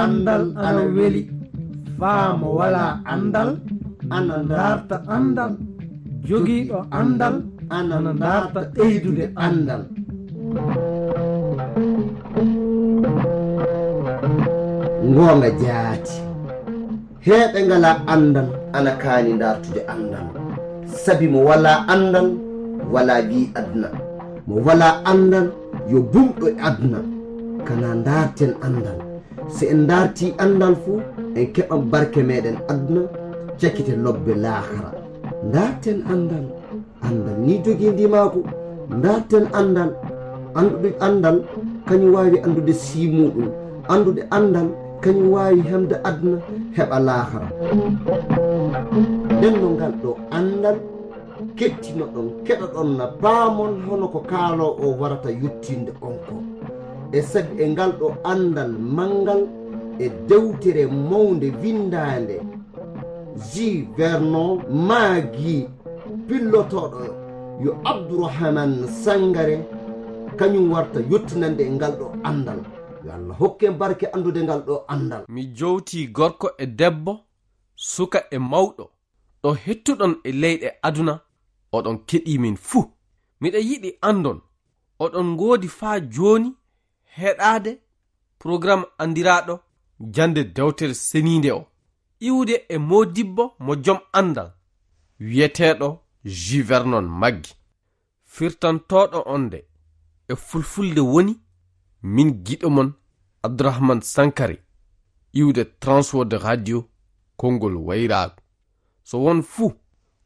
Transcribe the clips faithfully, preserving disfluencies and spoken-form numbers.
anndal ana weli. Faa mo walaa anndal ana ndaarta anndal. Jogiiɗo anndal ana ndaarta ɓeydude anndal. Ngoonga jaati. Heeɓe ngalaa anndal ana kaani ndaartude anndal. Sabi mo walaa anndal, walaa wi aduna. Mo walaa anndal, yo bumɗo e aduna. Kana ndaarten anndal. So en ndaartii anndal fu, en keɓan barke meɗen aduna, cakite lobbe laakara. Ndaarten anndal. Anndal ni jogii ndimaagu. Ndaarten anndal. Anndude anndal, kañum waawi anndude sii muɗum. Anndude anndal, kañum waawi hemde aduna, heɓa laakara. Nden no ngal ɗo anndal, kettinoɗon, keɗoɗon na paamon hono ko kaaloo o warata yottinde on ko. E sabi e ngal ɗo anndal manngal e dewtere mawnde winndaande, J. Vernon Maggi, pillotooɗo yo Abdourahmane Sangare, kañum warta yottinande e ngal ɗo anndal. Yo Allah hokke barke anndude ngal ɗo anndal. Mi jowtii gorko e debbo, suka e mawɗo, ɗo hettuɗon e leyɗe aduna, oɗon keɗii min fuu. Miɗa yiɗi anndon, oɗon ngoodi faa jooni heɗaade porogaram anndiraaɗo Jannde Dewtere Seniinde o, iwde e moodibbo mo jom anndal, wiyeteeɗo J. Vernon Maggi, firtantooɗo on nde e fulfulde woni min giɗo mon Abdourahmane Sankare, iwde Transworld Radio, konngol wayraagu. So won fuu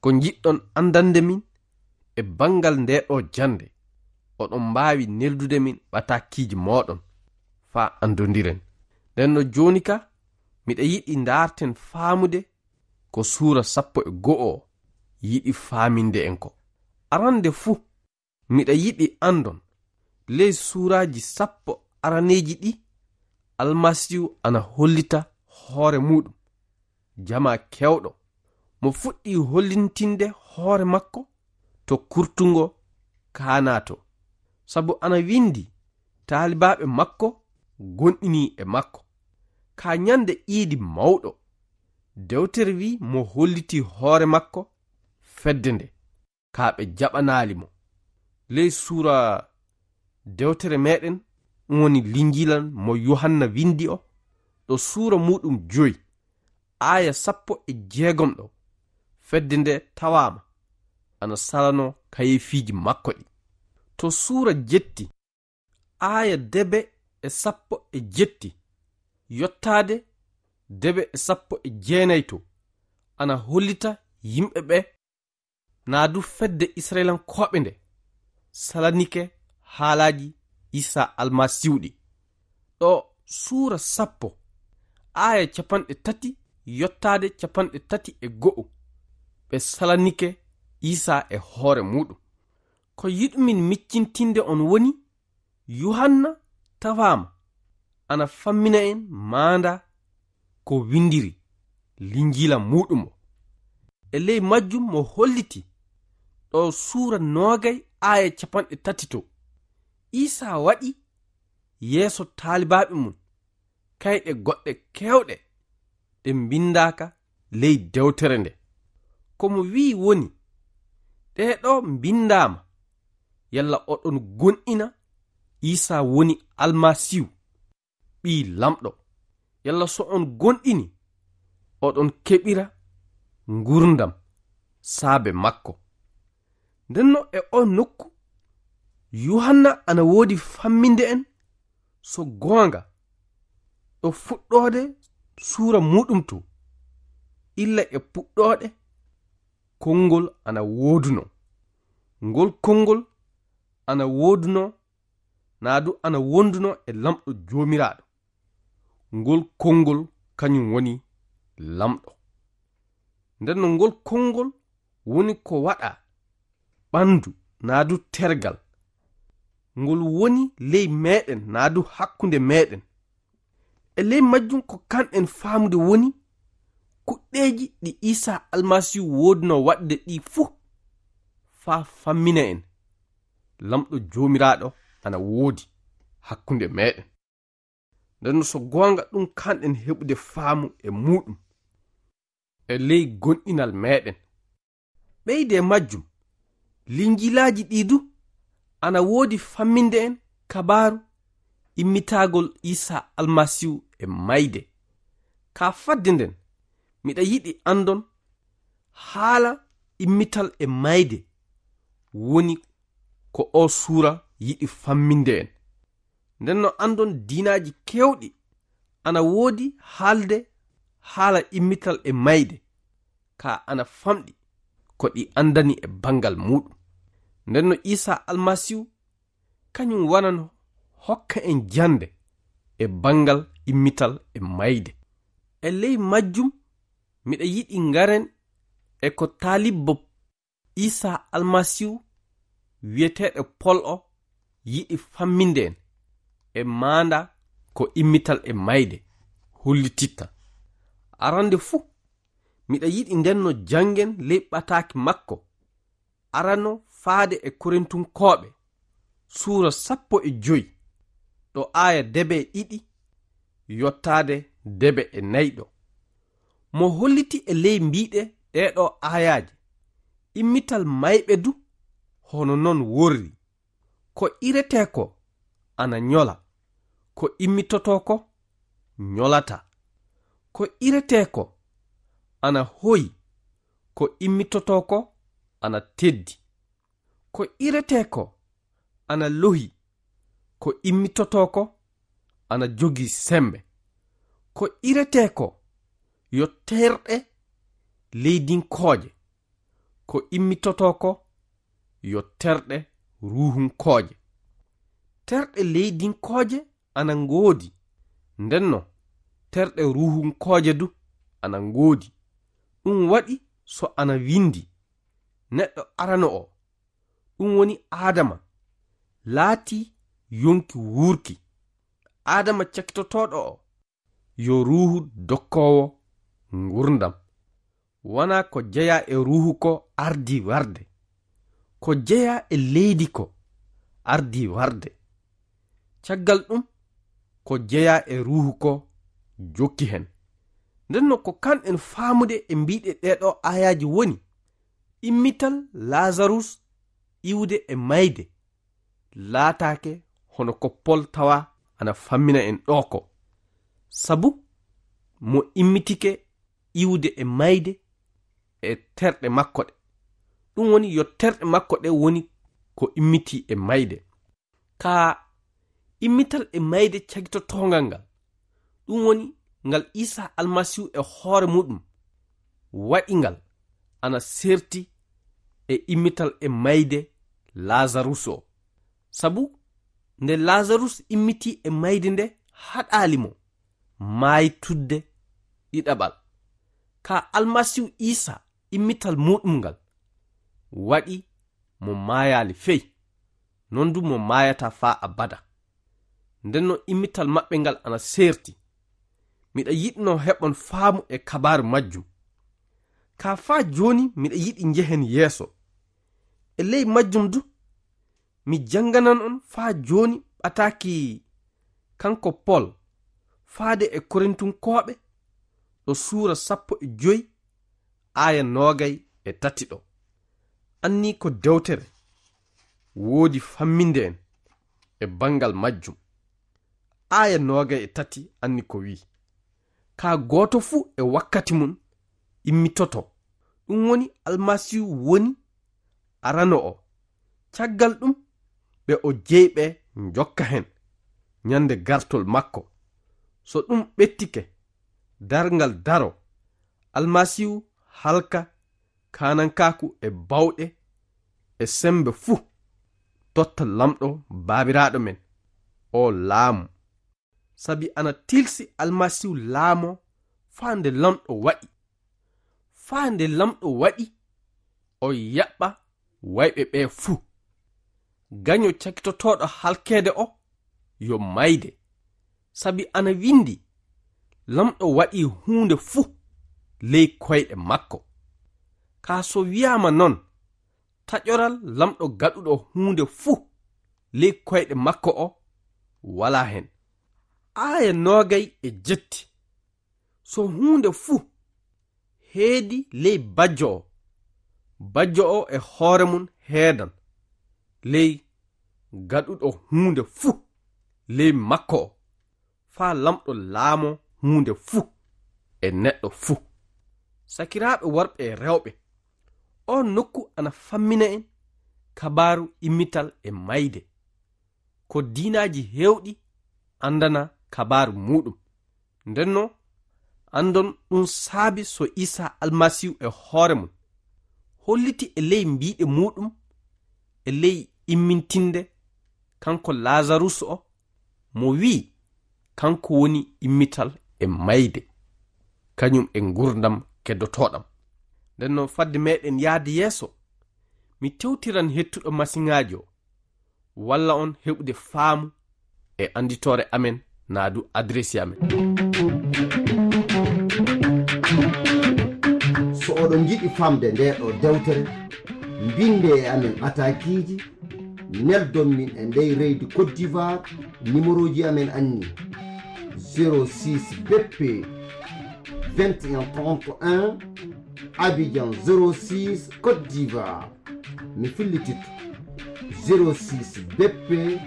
ko njiɗɗon anndande min e banngal ndee ɗoo jannde, oɗon mbaawi neldude min ɓatakiiji mooɗon faa anndondiren. Nden no jooni ka, miɗa yiɗi ndaarten faamude ko suura sappo e go'o o yiɗi faaminde en ko. Arannde fuu, miɗa yiɗi anndon, ley suuraaji sappo araneeji ɗi, Almasiihu ana hollita hoore muuɗum, jamaa keewɗo. Mo fuɗɗii hollintinde hoore makko to kurtungo kaanaa to. Sabu ana winndi, taalibaaɓe makko gonɗinii e makko. Ka ñande iidi mawɗo, dewtere wi'i mo hollitii hoore makko fedde nde, ka ɓe jaɓanaali mo. Ley suura dewtere meɗen, ɗum woni Linjiila mo Yuhanna winndi o, ɗo suura muuɗum joy, aaya sappo e jeegom ɗo, fedde nde tawaama ana salanoo kayeefiiji makko ɗi. To suura jetti, aaya debe e sappo e jetti, yottaade debe e sappo e jeenay to, ana hollita yimɓe ɓe, naa du fedde Isra'ilankooɓe nde salanike haalaaji Iisaa Almasiihu ɗi. Ɗo suura sappo, aaya capanɗe tati yottaade capanɗe tati e go'o, ɓe salanike Iisaa e hoore muuɗum. Ko yiɗumin miccintinde on woni, Yuhanna tawaama ana fammina en maanda ko winndiri Linjiila muuɗum o. E ley majjum mo holliti ɗo suura noogay aaya capanɗe tati to, Iisaa waɗi yeeso taalibaaɓe mum kayɗe goɗɗe keewɗe ɗe mbinndaaka ley dewtere nde. Ko mo wi'i woni, ɗee ɗo mbinndaama, yalla oɗon gonɗina Iisaa woni Almasiihu, Ɓii Lamɗo, yalla so on gonɗini, oɗon keɓira ngurndan saabe makko. Ndenno e oo nokku, Yuhanna ana woodi famminde en so goonga, ɗo fuɗɗoode suura muuɗum to, illa e puɗɗooɗe konngol ana woodunoo. Ngol konngol ana woodunoo, naa du ana wondunoo e Lamɗo Joomiraaɗo. Ngol konngol kañum woni Lamɗo. Ndenno ngol konngol woni ko waɗaa ɓanndu naa du tergal. Ngol woni ley meɗen naa du hakkunde meɗen. E ley majjum ko kanɗen faamude woni kuɗɗeeji ɗi Iisaa Almasiihu woodunoo waɗde ɗi fuu, faa fammina en Lamɗo Joomiraaɗo ana woodi hakkunde meɗen. Nden no so goonga ɗum kanɗen heɓude faamu e muuɗum e ley gonɗinal meeɗen. Ɓeyde majjum, linjilaaji ɗii du ana woodi famminde en kabaaru immitagol Iisaa Almasiihu e mayde. Ka fadde nden, miɗa yiɗi anndon haala immital e mayde woni ko oo suura yiɗi famminde en. Nden no anndon diinaaji keewɗi ana woodi haalde haala immital e mayde, ka ana famɗi ko ɗi anndani e banngal muuɗum. Nden no Iisaa Almasiihu kañum wanano hokka en jannde e banngal immital e mayde. E ley majjum, miɗa yiɗi ngaren e ko taalibbo Iisaa Almasiihu wi'eteeɗo Pol o yiɗi famminde en e maanda ko immital e mayde hollititta. Arande fuu, miɗa yiɗi nden no janngen ley ɓataaki makko arano faade e Korintunkooɓe, suura sappo e joy, ɗo aaya debe e ɗiɗi yottaade debe e nayɗo. Mo holliti e ley mbiiɗe ɗeeɗo aayaaje, immital mayɓe du hono non worri. Ko iretee ko ana ñola, ko immitotoo ko ñolata. Ko iretee ko ana hoyi, ko immitotoo ko ana teddi. Ko iretee ko ana lohi, ko immitotoo ko ana jogii semmbe. Ko iretee ko yo terɗe leydinkooje, ko immitotoo ko yo terɗe ruuhunkooje. Terɗe leydinkooje ana ngoodi, ndenno terɗe ruuhunkooje du ana ngoodi. Ɗum waɗi so ana winndi, neɗɗo arano o, ɗum woni Aadama, laatii yonki wuurki. Aadama cakitotooɗo o, yo ruuhu dokkoowo ngurndan. Wanaa ko jeyaa e ruuhu ko ardii warde, ko jeyaa e leydi ko ardii warde. Caggal ɗum, ko jeyaa e ruuhu ko jokki hen. Ndenno ko kanɗen faamude e mbiiɗe ɗeeɗo aayaaji woni, immital Laazarus iwde e mayde laataake hono ko Pol tawa ana fammina en ɗoo ko. Sabu mo immitike iwde e mayde e terɗe makko ɗe. Ɗum woni yo terɗe makko ɗe woni ko immitii e mayde. Ka immital e mayde cagitotoongal ngal, ɗum woni ngal Iisaa Almasiihu e hoore muɗum waɗi ngal ana serti e immital e mayde Laazarus o. Sabu nde Laazarus immitii e mayde nde haɗaali mo maaytudde ɗiɗaɓal. Ka Almasiihu Iisaa immital muɗum ngal waɗi mo maayaali fey, non du mo maayataa faa abada. Ndenno immital maɓɓe ngal ana seerti. Miɗa yiɗno heɓon faamu e kabaaru majjum. Ka faa jooni miɗa yiɗi njehen yeeso. E ley majjum du, mi jannganan on faa jooni ɓataaki kanko Pol faade e Korintunkooɓe ɗo suura sappo e joy aaya noogay e tati ɗo. Annii ko dewtere woodi famminde en e banngal majjum. Aaya noogay e tati anni ko wi'i, "Kaa gooto fuu e wakkati mum immitoto, ɗum woni Almasiihu woni arano o. Caggal ɗum, ɓe o jeyi ɓe njokka hen ñande gartol makko. So ɗum ɓettike, darngal daro, Almasiihu halka kaanankaaku e bawɗe e semmbe fuu, totta Laamɗo Baabiraaɗo men, o laamu. Sabi ana tilsi Almasiihu laamoo faa nde Laamɗo waɗi. Faa nde Laamɗo waɗi, o yaɓɓa wayɓe ɓee fuu. Gaño cakitotooɗo halkeede o, yo mayde. Sabi ana winndi, Laamɗo waɗii huunde fuu ley koyɗe makko." Kaa so wiyaama non, taƴoral Laamɗo gaɗuɗo huunde fuu ley koyɗe makko o walaa hen. Aaya noogay e jetti. So huunde fuu heedi ley bajjo o, bajjo o e hoore mum heedan ley gaɗuɗo huunde fuu ley makko o, faa Laamɗo laamoo huunde fuu e neɗɗo fuu. Sakiraaɓe worɓe e rewɓe, oo nokku ana fammina en kabaaru immital e mayde. Ko diinaaji heewɗi anndana kabaaru muuɗum. Ndennoo, anndon ɗum saabi so Iisaa Almasiihu e hoore mum holliti e ley mbiiɗe muuɗum, e ley immintinde kanko Laazarus o, mo wi'i kanko woni immital e mayde, kañum e ngurdam keddotooɗam. Ndennoo, fadde meɗen yahde yeeso, mi tewtiran hettuɗo masiŋaaji o, walla on heɓude faamu e annditoore amen naa du adresi amen. So oɗon njiɗi famde ndee ɗoo dewtere, mbinde e amen ataakiiji, neldon min e ndey reydi Côte d'Ivoire, nimerooji amen anni: zéro six B P vingt et un trente et un, Abidjan zéro six, Côte d'Ivoire. Mi fillititto: zéro six B P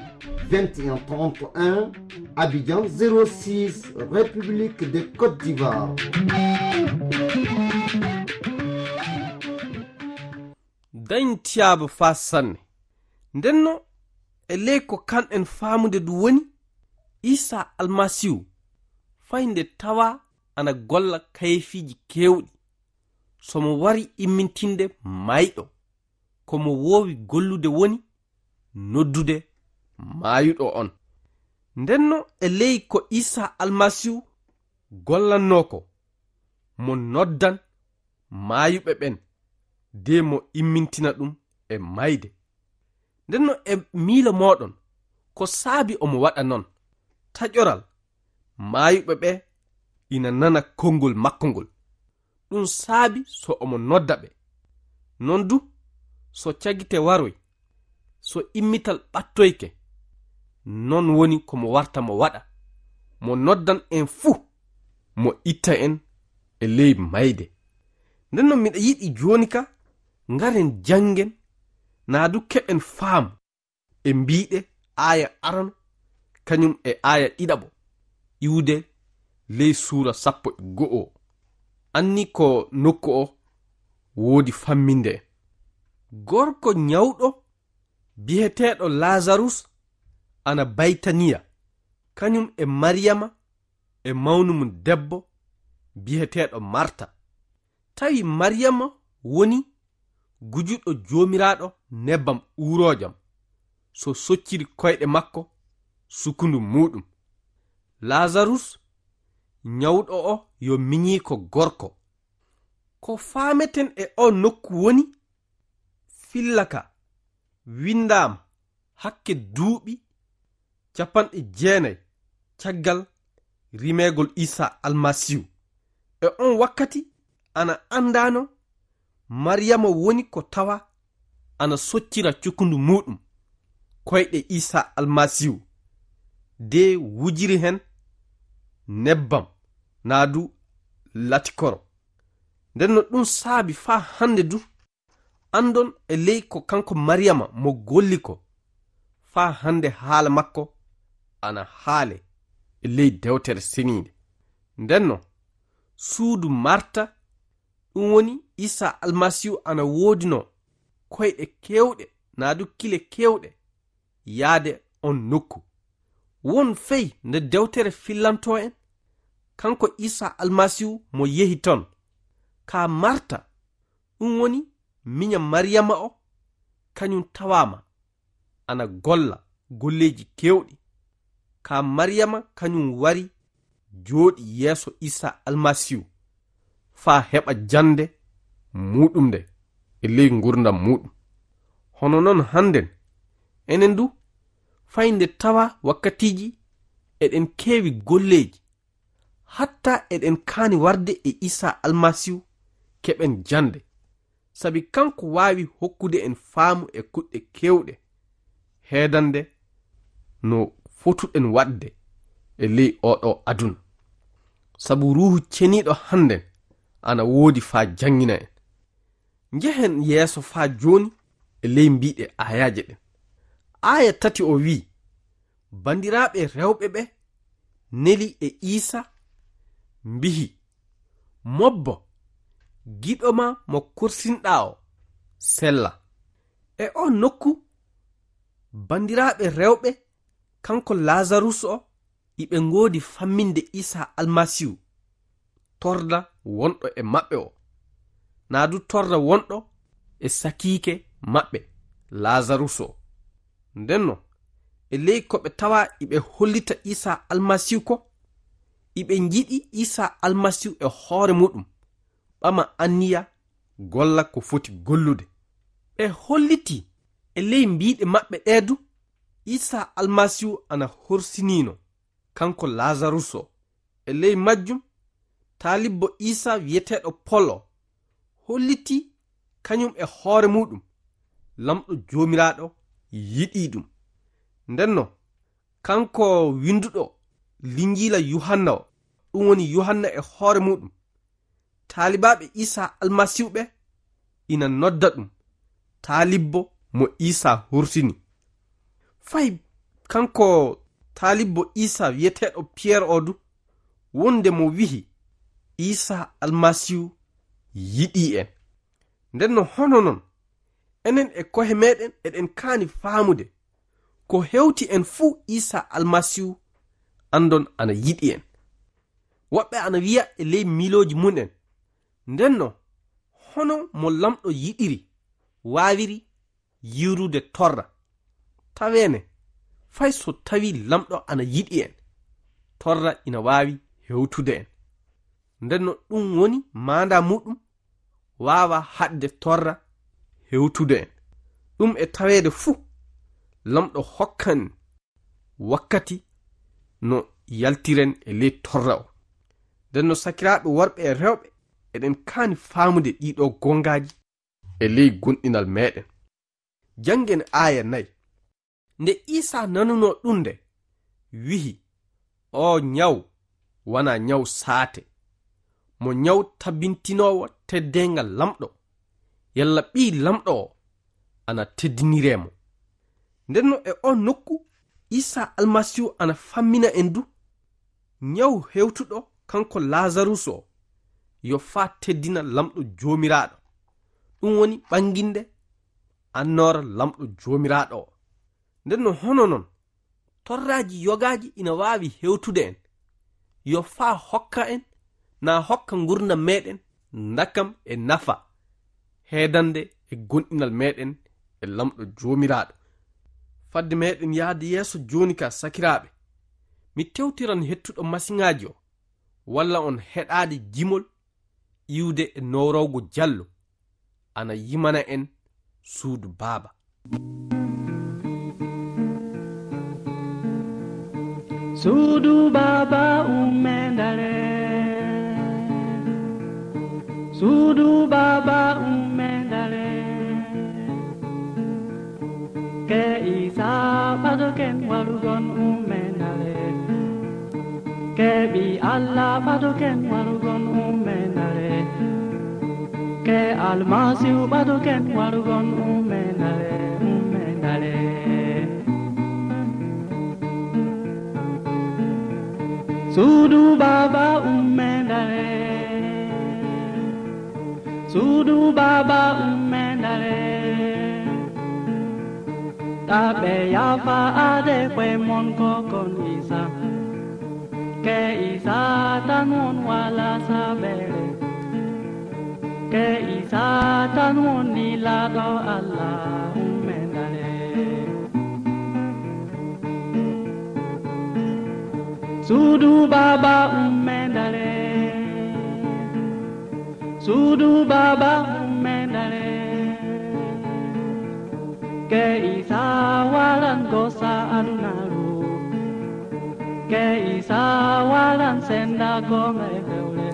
vingt et un trente et un, Abidjan zéro six, République de Côte d'Ivoire. Dañ tiyaaba faa sanne. Ndennoo, e ley ko kanɗen faamude du woni, Iisaa Almasiihu, fay nde tawaa ana golla kayeefiiji keewɗi, so mo wari immintinde mayɗo, ko mo woowi gollude woni noddude maayuɗo on. Ndennoo, e ley ko Iisaa Almasiihu gollannoo ko, mo noddan maayuɓe ɓen, de mo immintina ɗum e mayde. Ndennoo, e miilo mooɗon, ko saabi omo waɗa non? Taƴoral, maayuɓe ɓe ina nana konngol makko ngol. Ɗum saabi so omo nodda ɓe. Non du, so cagite waroy, so immital ɓattoyke, non woni ko mo warta mo waɗa, mo noddan en fuu, mo itta en e ley mayde. Ndennoo, miɗa yiɗi jooni ka ngaren janngen, naa du keɓen faamu e mbiiɗe aaya arano, kañum e aaya ɗiɗaɓo, iwde ley suura sappo e go'o o. Anni ko nokku o woodi famminde en. Gorko ñawɗo biyeteeɗo Laazarus ana Baytaniya, kañum e Mariyama e mawnu mum debbo biyeteeɗo Marta. Tawi Mariyama woni gujuɗo Joomiraaɗo nebbam uuroojam, so socciri koyɗe makko sukundu muuɗum. Laazarus ñawɗo o yo miñiiko gorko. Ko faameten e oo nokku woni, filla ka winndaama hakke duuɓi capanɗe jeenay caggal rimeegol Iisaa Almasiihu. E on wakkati ana anndaano Mariyama woni ko tawa ana soccira cukundu muuɗum koyɗe Iisaa Almasiihu, de wujiri hen nebbam naa du latikoro. Ndennoo, ɗum saabi faa hannde du, anndon e ley ko kanko Mariyama mo golli ko, faa hannde haala makko ana haale e ley Dewtere Seniinde. Ndennoo, suudu Marta, ɗum woni Iisaa Almasiihu, ana woodinoo koyɗe keewɗe naa du kile keewɗe yaade on nokku. Won fey nde dewtere fillantoo en, kanko Iisaa Almasiihu mo yehi ton. Kaa Marta, ɗum woni miña Mariyama o, kañum tawaama ana golla golleeji keewɗi. Kaa Mariyama kañum wari jooɗi yeeso Iisaa Almasiihu faa heɓa jannde muuɗum nde e ley ngurdam muuɗum. Hono non hannden, enen du, fay nde tawa wakkatiiji eɗen keewi golleeji, hatta eɗen kaani warde e Iisaa Almasiihu keɓen jannde, sabi kanko waawi hokkude en faamu e kuɗɗe keewɗe, heedande no fotuɗen waɗde e ley oɗo aduna. Sabu Ruuhu Ceniiɗo hannden ana woodi faa janngina en. Njehen yeeso faa jooni e ley mbiiɗe aayaaje ɗen. Aaya tati o wi'i, "Banndiraaɓe rewɓe ɓe neli e Iisa mbihi, 'Mobbo, giɗo maa mo korsinɗaa o sella.'" E oo nokku, banndiraaɓe rewɓe, kanko Laazarus o, iɓe ngoodi famminde Iisa Almasiihu, torra wonɗo e maɓɓe o, naa du torra wonɗo e sakiike maɓɓe, Laazarus o. Ndenno, e ley ko ɓe tawa iɓe hollita Iisa Almasiihu ko, iɓe njiɗi Iisa Almasiihu e hoore muɗum, ɓama anniya golla ko foti gollude. Ɓe holliti e ley mbiiɗe maɓɓe ɗee du, Iisa Almasiihu ana horsinino, kanko Laazarus o. E ley majjum, taalibbo Iisa wi'eteeɗo Pol o holliti kañum e hoore muɗum, Lamɗo Joomiraaɗo yiɗii ɗum. Ndenno, kanko winnduɗo Linjiila Yuhanna o, ɗum woni Yuhanna e hoore muɗum, taalibaaɓe Iisa Almasiihu ɓe ina nodda ɗum taalibbo mo Iisa horsini. Fay kanko taalibbo Iisa wi'eteeɗo Piyer o du, wonde mo wi'i, "Iisa Almasiihu yiɗii en." Ndenno hono non, enen e ko'e meɗen eɗen kaani faamude ko hewti en fuu Iisa Almasiihu anndon ana yiɗi en. Woɓɓe ana wi'a e ley miilooji mum en, "Ndenno, hono mo Lamɗo yiɗiri waawiri yiwrude torra?" Taweene, fay so tawi Lamɗo ana yiɗi en, torra ina waawi hewtude en. Ndenno ɗum woni maandaa muɗum waawa haɗde torra hewtude en. Ɗum e taweede fuu, Lamɗo hokkan wakkati no yaltiren e ley torra o. Nden no sakiraaɓe worɓe e rewɓe, eɗen kaani faamude ɗiɗo gongaaji e ley gomɗinal meɗen. Janngen aaya nayi. Nde Iisaa nanunoo ɗum nde, wi'i, "Oo ñaw wanaa ñaw saate, mo ñaw tabintinoowo teddeengal Lamɗo, yalla Ɓii Lamɗo o ana teddiniree mo." Nden no e oo nokku, Iisaa Almasiihu ana fammina en du, ñaw hewtuɗo kanko Laazarus o, yo faa teddina Lamɗo Joomiraaɗo. Ɗum woni ɓanginde annoora Lamɗo Joomiraaɗo o. Nden no hono non, torraaji yogaaji ina waawi hewtude en, yo faa hokka en, naa hokka ngurndan meɗen ndakam e nafa, heedande e gomɗinal meɗen e Lamɗo Joomiraaɗo. Fadde meɗen yahde yeeso jooni ka, sakiraaɓe, mi tewtiran hettuɗo masiŋaaji o, walla on heɗaade jimol iwde e nowrowgo Jallo, ana yimana en suudu Baaba. Suudu Baaba ummee ndare, suudu Baaba ummee ndare. Ke Iisaa ɓadoken warugon ummee ndare. Ke Ɓii Alla ɓadoken warugon ummee ndare. Ke Almasiihu ɓadoken warugon ummee ndare, ummee ndare. Suudu Baaba ummee ndare. Suudu Baaba ummee ndare. Taa ɓe yaafa aade ko'e mon ko kon Iisaa. Ke Iisaa tan won walaa sabeere. Ke Iisaa tan won nilaaɗo Alla ummee ndare. Suudu Baaba ummee ndare. Suudu Baaba ummee ndare. Ke Iisaa waran gosa adunaaru. Ke Iisaa waran senda goonga e fewre.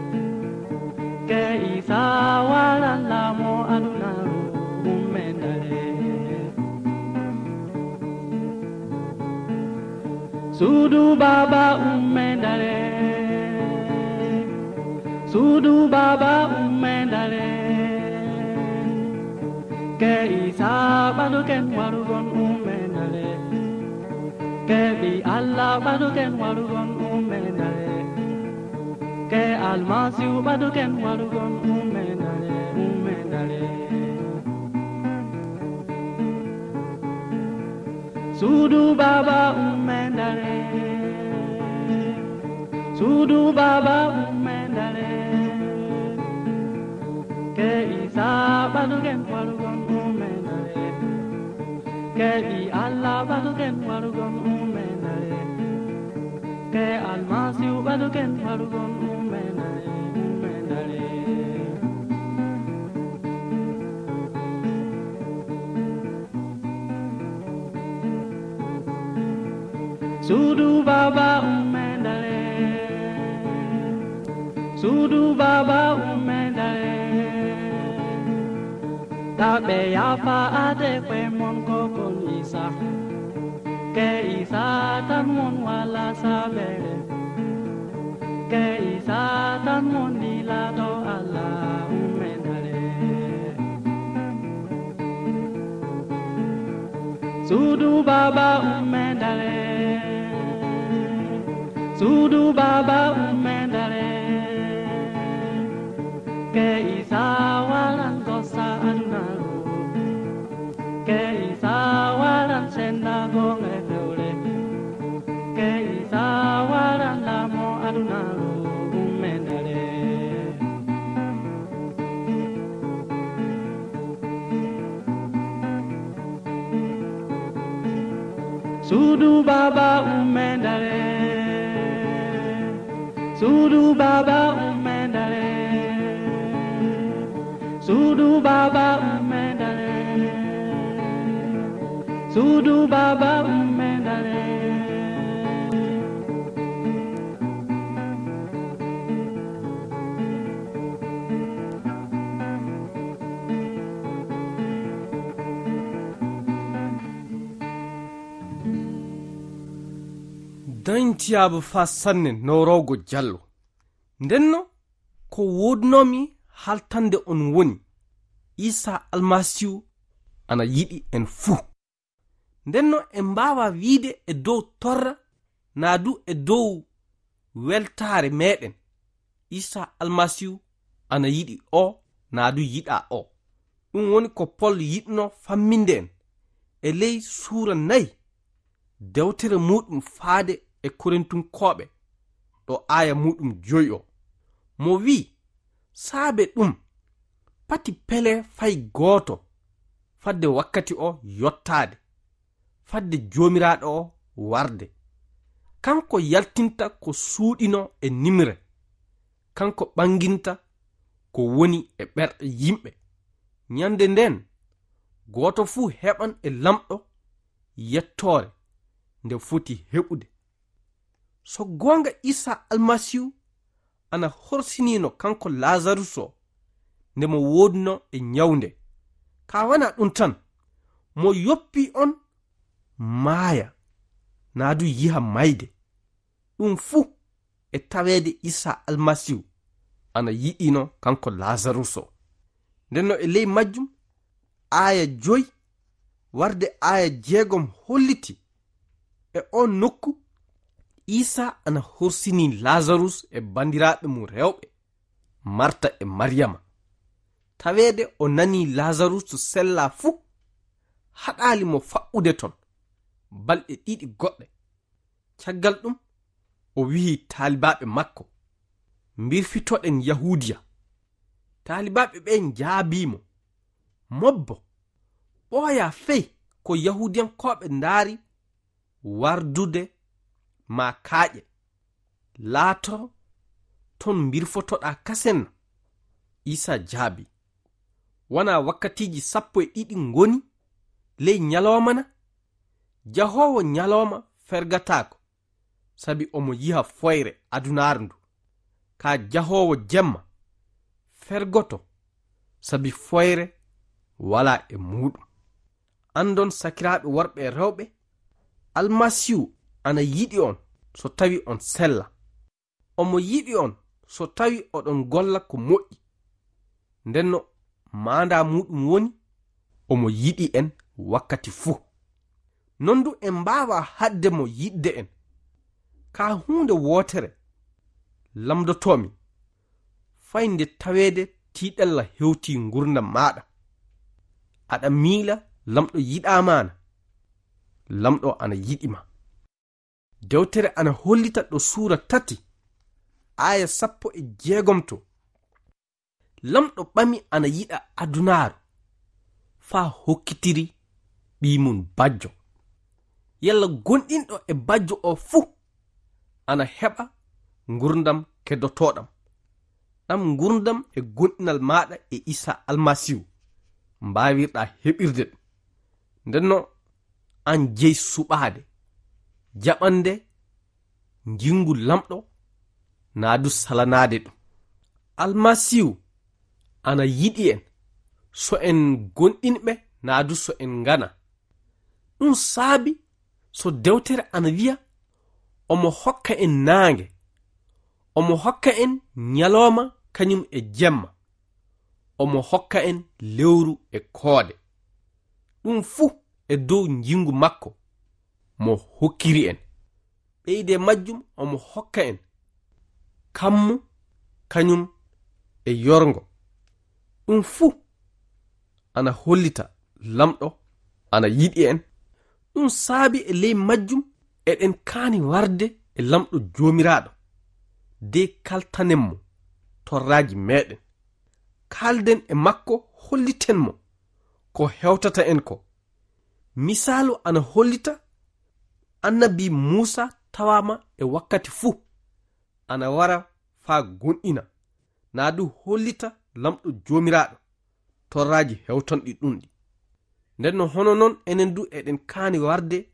Ke Iisaa waran laamo adunaaru ummee ndare. Suudu Baaba ummee daree, suudu Baaba ummee daree, ke Iisaa ɓadoken warugol ummee daree, ke Ɓii Alla ɓadoken warugol ummee daree, ke Almasiihu ɓadoken warugol ummee daree, ummee daree. Suudu Baaba ummee daree, suudu Baaba ummee daree, ke Iisaa ɓadoken warugol ummee daree, ke Ɓii Alla ɓadoken warugol ummee daree, ke Almasiihu ɓadoken warugol ummee daree, ummee daree. Suudu Baaba ummee daree, suudu Baaba ummee daree, taa ɓe yaafa ade ko'e mon ko kon Iisaa, ke Iisaa tan won walaa saabeere, ke Iisaa tan won lilaaɗo Alla ummee daree. Suudu Baaba ummee daree, suudu Baaba ummee daree, ke Iisaa waran gosa adunaaru, ke Iisaa waran senndaango e fewre, ke Iisaa waran laamo adunaaru ummee daree. Suudu Baaba ummee daree, suudu Baaba ummee daree, suudu Baaba ummee daree, suudu Baaba ummee daree. Dañtiyaaba faa sanne nowrowgo jallo. Ndenno ko woodunoomi haltande on woni, Iisaa Almasiihu ana yiɗi en fuu. Ndenno en mbaawaa wiide e dow torra naa du e dow weltaare meeɗen, Iisaa Almasiihu ana yiɗi oo naa du yiɗaa oo. Ɗum woni ko Pol yiɗno famminde en e ley suura nayi, dewtere muuɗum faade e Korintunkooɓe, ɗo aaya muuɗum joyi o. Mo wi'i, saabe ɗum, pati pelee fay gooto, fadde wakkati o yottaade, fadde Joomiraaɗo o warde. Kanko yaltinta ko suuɗinoo e nimre, kanko ɓanginta ko woni e ɓerɗe yimɓe. Ñande ndeen, gooto fuu heɓan e Laamɗo yettoore nde foti heɓude. So goonga, Iisaa Almasiihu ana horsinino kanko Laazarus o nde mo woodunoo e ñawnde. Kaa wanaa ɗum tan, mo yoppii on maaya, naa du yiha mayde. Ɗum fuu e taweede Iisaa Almasiihu ana yiɗino kanko Laazarus o. Ndenno e ley majjum, aaya joy warde aaya jeegom holliti e oon nokku, Iisaa ana horsini Laazarus e banndiraaɓe mum rewɓe, Marta e Mariyama. Taweede o nanii Laazarus sellaa fuu, haɗaali mo faɓɓude ton balɗe ɗiɗi goɗɗe. Caggal ɗum, o wi'i taalibaaɓe makko, mbirfitoɗen Yahuudiya. Taalibaaɓe ɓe njaabii mo, mobbo, ɓooyaa fey ko Yahuudiyankooɓe ndaari wardude ma kaaƴe, laato ton mbirfotoɗaa kasen na? Iisaa jaabii, wanaa wakkatiiji sappo e ɗiɗi ngoni ley ñalooma na? Jahoowo ñalooma fergataako, sabi omo yiha foyre adunaaru ndu. Kaa jahoowo jemma fergoto, sabi foyre walaa e muuɗum. Anndon, sakiraaɓe worɓe e rewɓe, Almasiihu ana yiɗi on so tawi on sella. Omo yiɗi on so tawi oɗon golla ko moƴƴi. Ndenno maandaa muuɗum woni, omo yiɗi en wakkati fuu. Non du en mbaawaa haɗde mo yiɗde en. Ka huunde wootere lamndotoomi, fay nde taweede tiiɗalla hewtii ngurndan maaɗa. Aɗa miila Lamɗo yiɗaa ma na? Lamɗo ana yiɗi ma. Dewtere ana hollita ɗo suura tati, aaya sappo e jeegom to. Lamɗo ɓami ana yiɗa adunaaru, faa hokkitiri Ɓii mum bajjo. Yalla gonɗinɗo e bajjo o fuu ana heɓa ngurndan keddotooɗan. Ɗan ngurndan e gonɗinal maaɗa e Iisaa Almasiihu mbaawirɗaa heɓirde ɗum. Ndenno an jey suɓaade, jaɓande njinngu Lamɗo, naa du salanaade ɗum. Almasiihu ana yiɗi en, so en gonɗinɓe naa du so en ngana. Ɗum saabi so dewtere ana wiya, omo hokka en naange, omo hokka en ñalooma kañum e jemma, omo hokka en lewru e koode. Ɗum fuu e dow njinngu makko mo hokkiri en. Ɓeyde majjum omo hokka en kammu kañum e yorngo. Ɗum fuu ana hollita Lamɗo ana yiɗi en. Ɗum saabi e ley majjum eɗen kaani warde e Lamɗo Joomiraaɗo, de kaltanen mo torraaji meeɗen. Kaalden e makko, holliten mo ko hewtata en ko. Misaalu ana hollita, annabi Muusaa tawaama e wakkati fuu ana wara faa gonɗina, naa du hollita Lamɗo Joomiraaɗo torraaji hewtanɗi ɗum ɗi. Ndenno hono non enen du eɗen kaani warde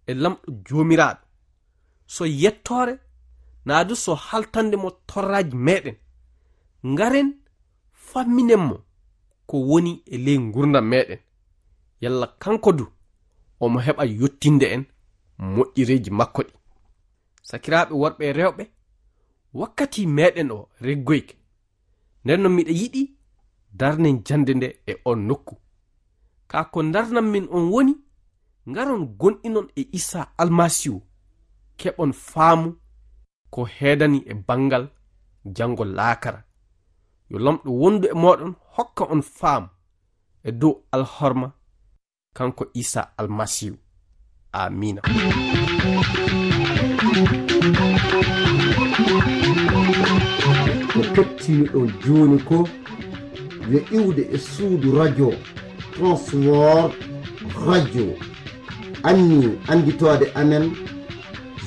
e Lamɗo Joomiraaɗo. So yettoore, naa du so haltande mo torraaji meeɗen. Ngaren famminen mo ko woni e ley ngurndan meeɗen. Yalla kanko du omo heɓa yottinde en moƴƴereeji makko ɗi. Sakiraaɓe worɓe e rewɓe, wakkati meeɗen o reggoyke. Nden non miɗa yiɗi darnen jannde nde e on nokku. Kaa ko ndarnan min on woni, ngaron gonɗinon e Iisaa Almasiihu, keɓon faamu ko heedani e banngal janngo laakara. Yo Lamɗo wondu e mooɗon, hokka on faamu e dow alhorma kanko Iisaa Almasiihu. Aamiina. Ko kettiniɗon jooni ko yo iwde e suudu radio Transworld Radio. Anni annditoode amen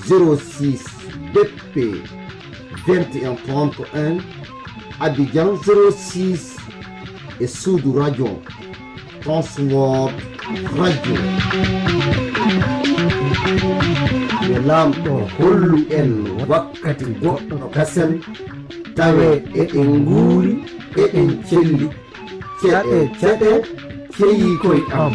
zéro six B P vingt et un trente et un, Abidjan zéro six, e suudu radio Transworld Radio. Yo Laamɗo hollu en wakkati goɗɗo kasen, tawe eɗen nguuri, eɗen celli. Ceɗe, ceɗe, ceyi koy am.